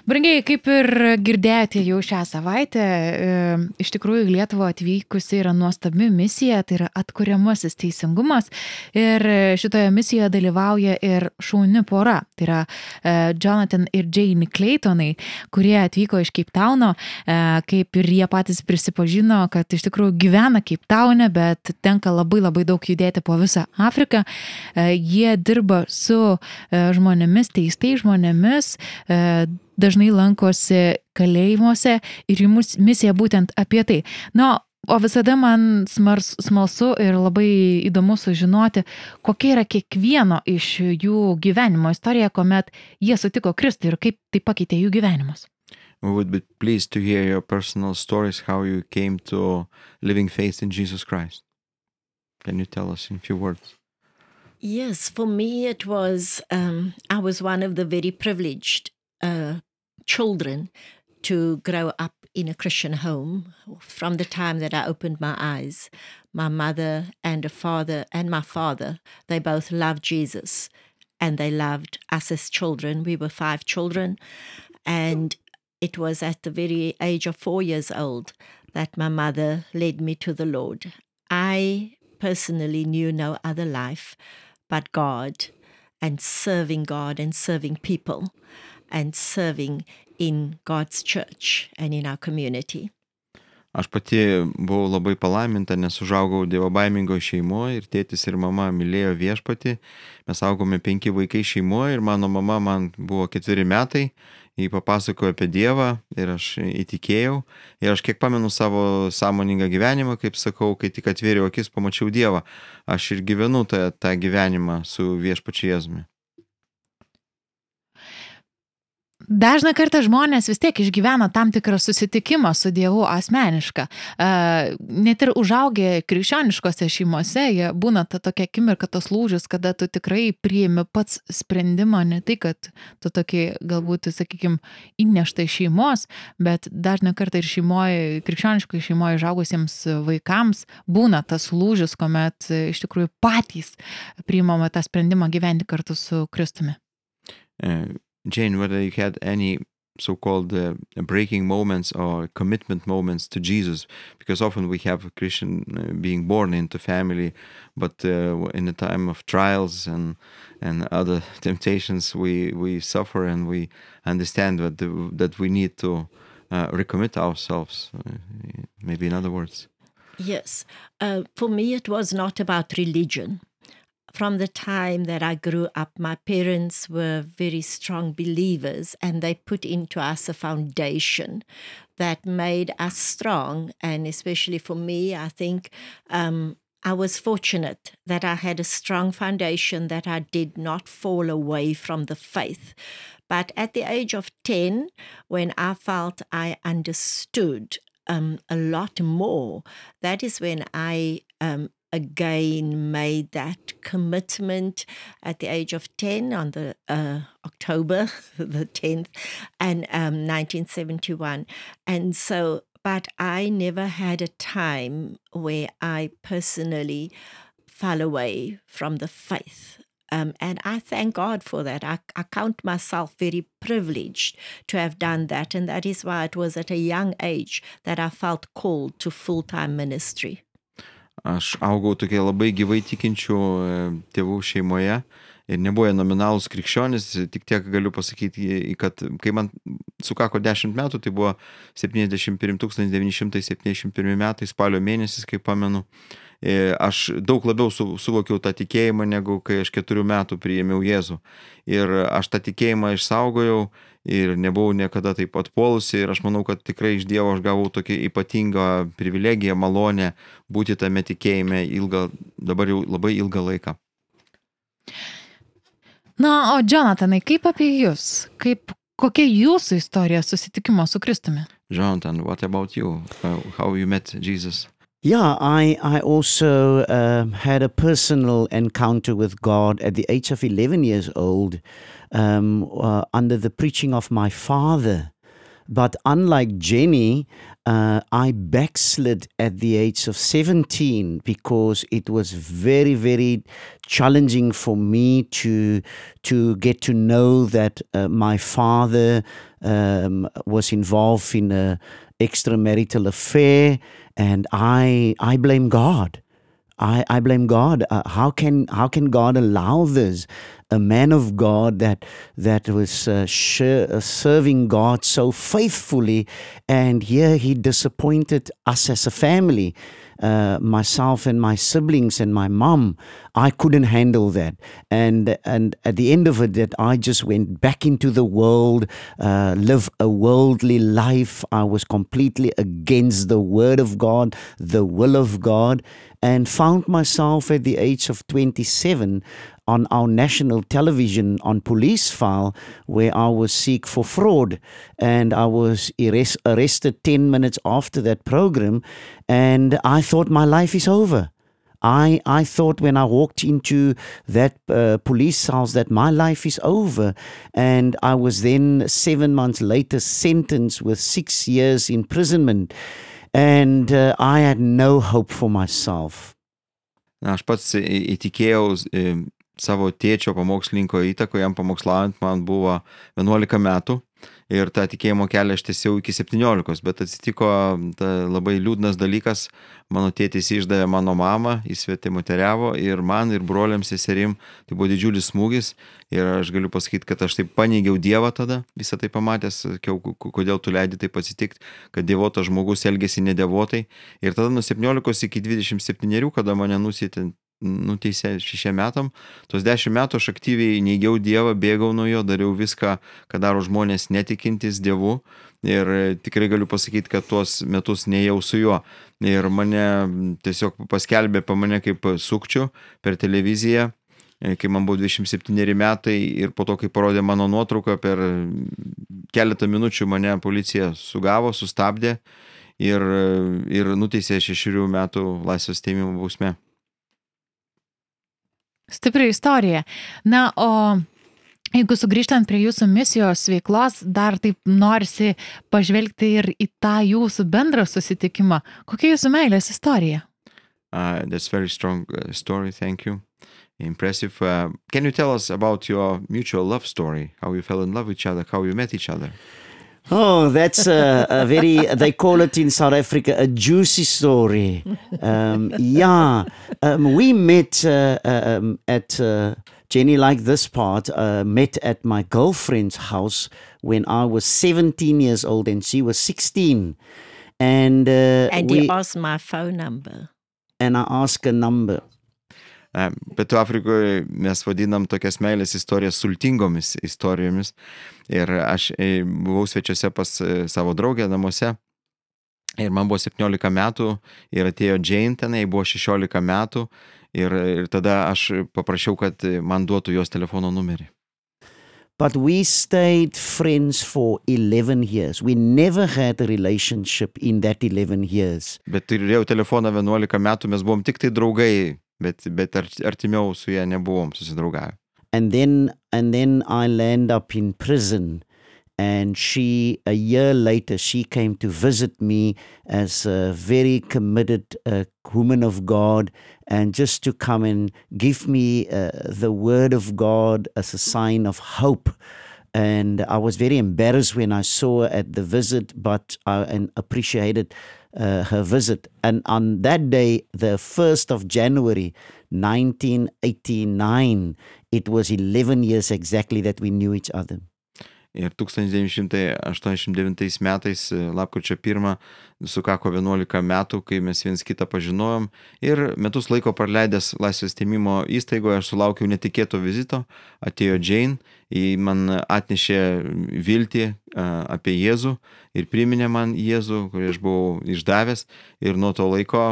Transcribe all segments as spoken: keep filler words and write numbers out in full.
Brangiai, kaip ir girdėjote jau šią savaitę, e, iš tikrųjų į Lietuvą atvykusi yra nuostabi misija, tai yra atkuriamasis teisingumas. Ir šitoje misijoje dalyvauja ir šauni pora, tai yra e, Jonathan ir Jane Claytonai, kurie atvyko iš Cape Towno, e, kaip ir jie patys prisipažino, kad iš tikrųjų gyvena Cape Towne, bet tenka labai labai daug judėti po visą Afriką. E, jie dirba su e, žmonėmis, teistais žmonėmis, e, dažnai lankosi kalėjimuose ir jų mus- misija būtent apie tai. Na, o visada man smars, smalsu ir labai įdomu sužinoti, kokia yra kiekvieno iš jų gyvenimo istorija, kuomet jie sutiko Kristų ir kaip tai pakeitė jų gyvenimus. We would be pleased to hear your personal stories, how you came to living faith in Jesus Christ. Can you tell us in a few words? Yes, for me it was, um, I was one of the very privileged uh, children to grow up in a Christian home. From the time that I opened my eyes, my mother and a father and my father, they both loved Jesus and they loved us as children. We were five children, and it was at the very age of four years old that my mother led me to the Lord. I personally knew no other life but God, and serving God and serving people and serving in God's church and in our community. Aš pati buvau labai palaiminta, nes užaugau dievobaimingoje šeimoje ir tėtis ir mama mylėjo viešpatį. Mes augome penki vaikai šeimoje ir mano mama man buvo ketveri metai. Jį papasakojo apie Dievą ir aš įtikėjau. Ir aš kiek pamenu savo sąmoningą gyvenimą, kaip sakau, kai tik atvėriau akis, pamačiau Dievą. Aš ir gyvenu tą, tą gyvenimą su viešpačiu Jėzumi. Dažną kartą žmonės vis tiek išgyvena tam tikrą susitikimą su Dievu asmenišką. Net ir užaugę krikščioniškose šeimose, jie būna ta tokia akimirka, tas lūžis, kada tu tikrai priimi pats sprendimą, ne tai, kad tu tokį galbūt, sakykime, įnešta iš šeimos, bet dažną kartą ir šeimoje, krikščioniškai šeimoje užaugusiems vaikams būna tas lūžis, kuomet iš tikrųjų patys priimama tą sprendimą gyventi kartu su Kristumi. Uh, Jane, whether you had any so-called uh, breaking moments or commitment moments to Jesus, because often we have a Christian uh, being born into family, but uh, in a time of trials and and other temptations, we we suffer and we understand that the, that we need to uh, recommit ourselves. Uh, maybe in other words. Yes, uh, for me it was not about religion. From the time that I grew up, my parents were very strong believers, and they put into us a foundation that made us strong. And especially for me, I think um, I was fortunate that I had a strong foundation, that I did not fall away from the faith. But at the age of ten, when I felt I understood um, a lot more, that is when I um, again made that commitment at the age of ten on the uh, October the tenth and um, nineteen seventy-one. And so, but I never had a time where I personally fell away from the faith. Um, and I thank God for that. I, I count myself very privileged to have done that. And that is why it was at a young age that I felt called to full-time ministry. Aš augau tokie labai gyvai tikinčių tėvų šeimoje ir nebuvo nominalūs krikščionys, tik tiek galiu pasakyti, kad kai man sukako dešimt metų, tai buvo tūkstantis devyni šimtai septyniasdešimt pirmi metai, spalio mėnesis, kaip pamenu, aš daug labiau suvokiau tą tikėjimą, negu kai aš keturių metų priėmiau Jėzų. Ir aš tą tikėjimą išsaugojau ir nebuvau niekada taip atpuolusi ir aš manau, kad tikrai iš Dievo aš gavau tokią ypatingą privilegiją, malonę būti tame tikėjime ilgą, dabar jau labai ilgą laiką. Na, o Jonathanai, kaip apie jūs? Kaip, kokia jūsų istorija susitikimo su Kristumi? Jonathan, what about you? Uh, how you met Jesus? Yeah, I, I also uh, had a personal encounter with God at the age of eleven years old um, uh, under the preaching of my father. But unlike Jenny, uh, I backslid at the age of seventeen because it was very, very challenging for me to to get to know that uh, my father um, was involved in a extramarital affair, and I I blame God. I, I blame God. Uh, how can how can God allow this? A man of God that that was uh, sh- uh, serving God so faithfully, and here he disappointed us as a family, uh, myself and my siblings and my mom. I couldn't handle that, and and at the end of it, that I just went back into the world, uh, live a worldly life. I was completely against the Word of God, the will of God, and found myself at the age of twenty-seven on our national television on Police File, where I was sick for fraud, and I was arrest, arrested ten minutes after that program, and I thought my life is over. I, I thought when I walked into that uh, police house that my life is over, and I was then seven months later sentenced with six years imprisonment, and uh, I had no hope for myself. Na, aš pats įtikėjau savo tėčio pamokslininko įtako, jam pamokslaujant man buvo vienuolika metų ir tą tikėjimo kelią aš tęsiau iki septyniolikos, bet atsitiko labai liūdnas dalykas, mano tėtis išdavė mano mamą, įsvetimoteriavo ir man, ir broliams, seserim, tai buvo didžiulis smūgis ir aš galiu pasakyti, kad aš taip paneigiau Dievą tada, visą tai pamatęs, sakiau, kodėl tu leidi taip atsitikti, kad dievotas žmogus elgėsi nedevotai ir tada nuo septyniolikos iki dvidešimt septynerių, kada mane nusietė nuteisė šešiem metam, tos dešimt metų aš aktyviai neigiau Dievą, bėgau nuo jo, dariau viską, ką daro žmonės netikintis Dievu ir tikrai galiu pasakyti, kad tuos metus nejau su juo ir mane tiesiog paskelbė pa mane kaip sukčių per televiziją, kai man buvo dvidešimt septyneri metai ir po to, kai parodė mano nuotrauką, per keletą minučių mane policija sugavo, sustabdė ir, ir nuteisė šešerių metų laisvės atėmimo bausme. Stipri istorija. Na, o jeigu sugrįžtant prie jūsų misijos veiklos, dar taip norisi pažvelgti ir į tą jūsų bendrą susitikimą. Kokia jūsų meilės istorija? Uh, that's very strong uh, story, thank you. Impressive. Uh, can you tell us about your mutual love story? How you fell in love with each other, how you met each other? Oh, that's a, a very, they call it in South Africa, a juicy story. Um, yeah, um, we met uh, um, at, uh, Jenny, like this part, uh, met at my girlfriend's house when I was seventeen years old and she was sixteen. And, uh, And we, he asked my phone number. and I asked her number. Pietų Afrikoje mes vadinam tokias meilės istorijas sultingomis istorijomis ir aš buvau svečiuose pas savo draugę namuose ir man buvo septyniolika metų ir atėjo Jane tenai, buvo šešiolika metų ir, ir tada aš paprašiau, kad man duotų jos telefono numerį. But we stayed friends for eleven years. We never had a relationship in that eleven years. Bet turėjau telefoną vienuolika metų, mes buvom tik tai draugai. Bet, bet artimiau su ja nebuvom susidraugavę. And then, and then I landed up in prison, and she, a year later, she came to visit me as a very committed uh, woman of God, and just to come and give me uh, the word of God as a sign of hope. And I was very embarrassed when I saw her at the visit, but I and appreciated uh, her visit. And on that day, the first of January, nineteen eighty-nine, it was eleven years exactly that we knew each other. Ir tūkstantis devyni šimtai aštuoniasdešimt devintais metais, lapkričio pirmą, sukako vienuolika metų, kai mes viens kitą pažinojom. Ir metus laiko praleidęs laisvės atėmimo įstaigoje, aš sulaukiau netikėto vizito. Atėjo Jane, ji man atnešė viltį apie Jėzų ir priminė man Jėzų, kurį aš buvau išdavęs. Ir nuo to laiko,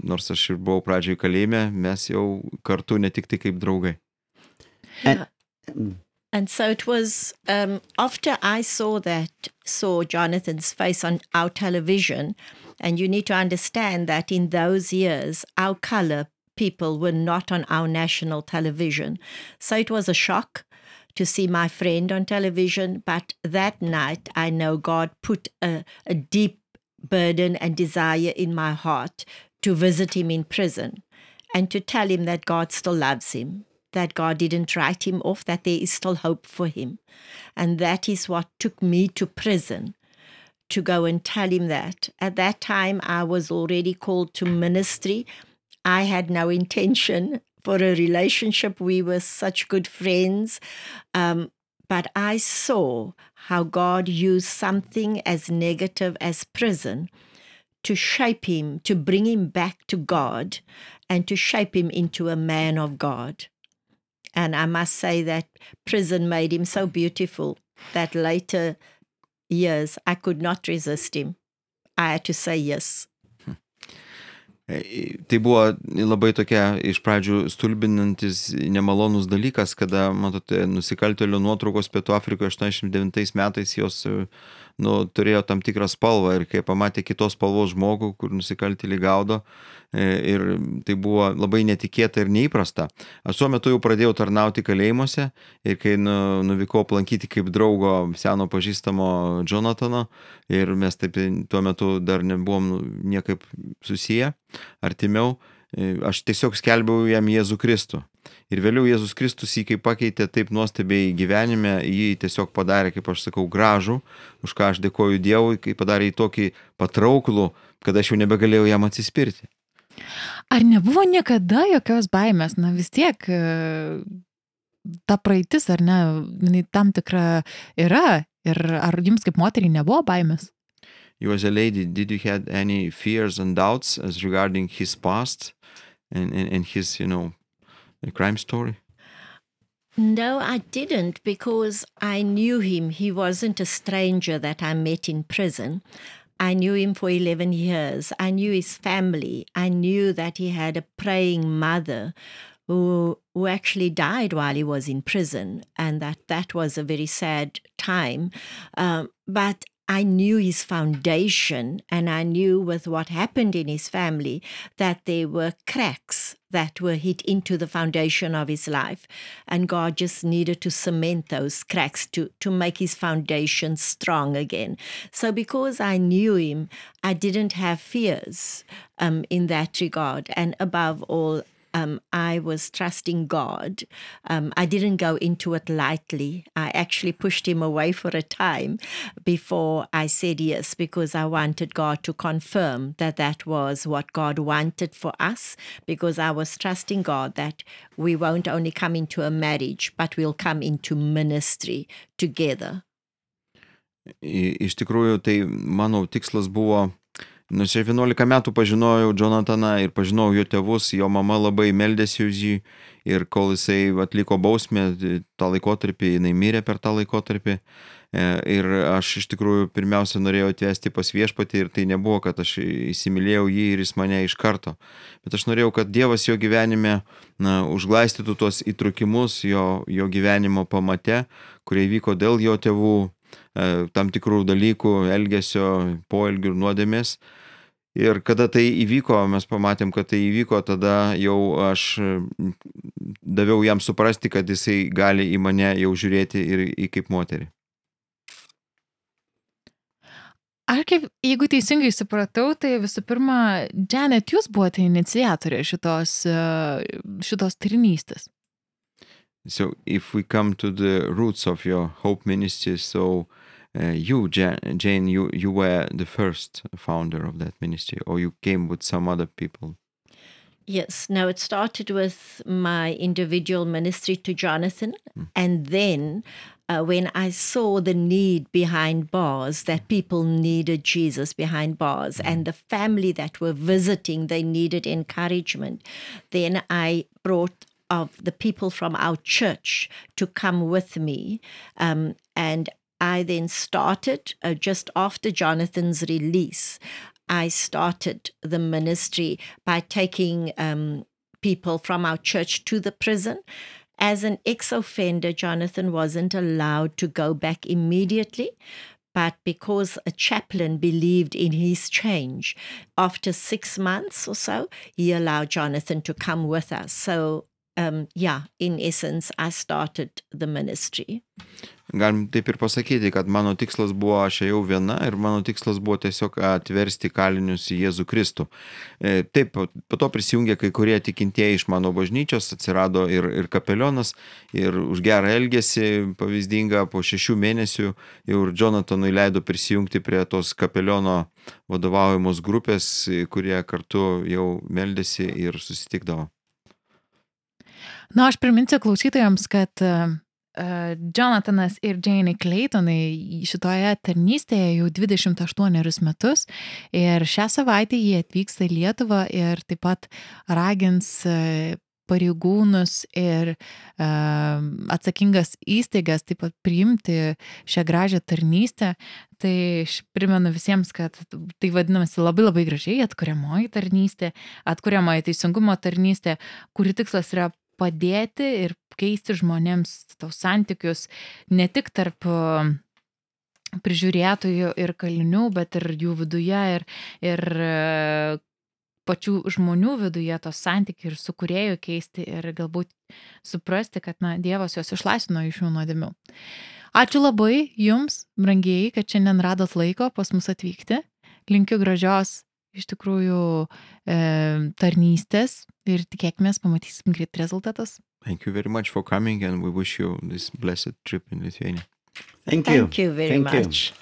nors aš ir buvau pradžioj kalėjime, mes jau kartu ne tik tai kaip draugai. And, And so it was um, after I saw that, saw Jonathan's face on our television, and you need to understand that in those years, our color people were not on our national television. So it was a shock to see my friend on television. But that night, I know God put a, a deep burden and desire in my heart to visit him in prison and to tell him that God still loves him. that God didn't write him off, that there is still hope for him. And that is what took me to prison, to go and tell him that. At that time, I was already called to ministry. I had no intention for a relationship. We were such good friends. Um, but I saw how God used something as negative as prison to shape him, to bring him back to God, and to shape him into a man of God. And I must say that prison made him so beautiful that later years I could not resist him. I had to say yes. Tai buvo labai tokia iš pradžių stulbinantis, nemalonus dalykas, kada, matote, nusikaltėlių nuotraukos Pietų Afrikoje aštuoniasdešimt devintais metais jos nu, turėjo tam tikrą spalvą ir kai pamatė kitos spalvos žmogų, kur nusikaltėlį gaudo, ir tai buvo labai netikėta ir neįprasta. Aš tuo metu jau pradėjau tarnauti kalėjimuose ir kai nu, nuvykau aplankyti kaip draugo seno pažįstamo Jonatano ir mes taip tuo metu dar nebuvom niekaip susiję, artimiau, aš tiesiog skelbiau jam Jėzų Kristų. Ir vėliau Jėzus Kristus jį kaip pakeitė taip nuostabiai gyvenime, jį tiesiog padarė, kaip aš sakau, gražų, už ką aš dėkoju Dievui, kai padarė jį tokį patrauklų, kad aš jau nebegalėjau jam atsispirti. Ar nebuvo niekada jokios baimės? Na vis tiek ta praeitis, ar ne, tam tikra yra. Ir ar jums kaip moteriai nebuvo baimės? You as a lady, did you had any fears and doubts as regarding his past and, and, and his, you know, crime story? No, I didn't, because I knew him. He wasn't a stranger that I met in prison. I knew him for eleven years. I knew his family. I knew that he had a praying mother who, who actually died while he was in prison, and that that was a very sad time. Um, but I knew his foundation, and I knew with what happened in his family that there were cracks that were hit into the foundation of his life. And God just needed to cement those cracks to, to make his foundation strong again. So because I knew him, I didn't have fears um, in that regard. And above all, Um, I was trusting God. Um, I didn't go into it lightly. I actually pushed him away for a time before I said yes, because I wanted God to confirm that that was what God wanted for us, because I was trusting God that we won't only come into a marriage, but we'll come into ministry together. Iš tikrųjų, tai mano tikslas buvo. Nu, aš vienuolika metų pažinojau Jonataną ir pažinojau jo tėvus, jo mama labai meldėsi už jį ir kol jisai atliko bausmę, tą laikotarpį, jinai mirė per tą laikotarpį ir aš iš tikrųjų pirmiausia norėjau atvesti pas viešpatį ir tai nebuvo, kad aš įsimylėjau jį ir jis mane iš karto, bet aš norėjau, kad Dievas jo gyvenime na, užglaistytų tuos įtrukimus jo, jo gyvenimo pamate, kurie vyko dėl jo tėvų tam tikrų dalykų, elgesio, poelgių ir nuodėmės. Ir kada tai įvyko, mes pamatėm, kad tai įvyko, tada jau aš daviau jam suprasti, kad jisai gali į mane jau žiūrėti ir į kaip moterį. Ar kaip, jeigu teisingai supratau, tai visų pirma, Janet, jūs buvote iniciatorė šitos, šitos tarnystės. So if we come to the roots of your Hope Ministry, so uh, you, Jane, you, you were the first founder of that ministry, or you came with some other people? Yes. No, it started with my individual ministry to Jonathan. Mm. And then uh, when I saw the need behind bars, that people needed Jesus behind bars, mm. and the family that were visiting, they needed encouragement, then I brought of the people from our church to come with me. Um, and I then started, uh, just after Jonathan's release, I started the ministry by taking um, people from our church to the prison. As an ex-offender, Jonathan wasn't allowed to go back immediately, but because a chaplain believed in his change, after six months or so, he allowed Jonathan to come with us. So Um, yeah, in essence, I started the ministry. galim taip ir pasakyti, kad mano tikslas buvo, aš ėjau viena ir mano tikslas buvo tiesiog atversti kalinius į Jėzų Kristų. E, Taip, po po to prisijungė kai kurie tikintieji iš mano bažnyčios, atsirado ir, ir kapelionas, ir už gerą elgesį pavyzdingą po šešių mėnesių jau ir Jonathanui leido prisijungti prie tos kapeliono vadovaujamos grupės, kurie kartu jau meldėsi ir susitikdavo. Na, aš priminsiu klausytojams, kad uh, Jonathanas ir Janie Claytonai šitoje tarnystėje jau dvidešimt aštuonerius metus ir šią savaitę jie atvyksta į Lietuvą ir taip pat ragins uh, pareigūnus ir uh, atsakingas įstaigas taip pat priimti šią gražią tarnystę. Tai aš primenu visiems, kad tai vadinamasi labai labai gražiai atkuriamoji tarnystė, atkuriamoji teisingumo tarnystė, kuri tikslas yra padėti ir keisti žmonėms tos santykius ne tik tarp prižiūrėtojų ir kalinių, bet ir jų viduje ir, ir pačių žmonių viduje tos santykiai ir su kūrėju keisti ir galbūt suprasti, kad na, Dievas juos išlaisvino iš jų nuodėmių. Ačiū labai jums, brangieji, kad šiandien radot laiko pas mus atvykti. Linkiu gražios iš tikrųjų e, tarnystės ir tikėkime, pamatysim greit rezultatus. Thank you very much for coming and we wish you this blessed trip in Lithuania. Thank you. Thank you very Thank you. much.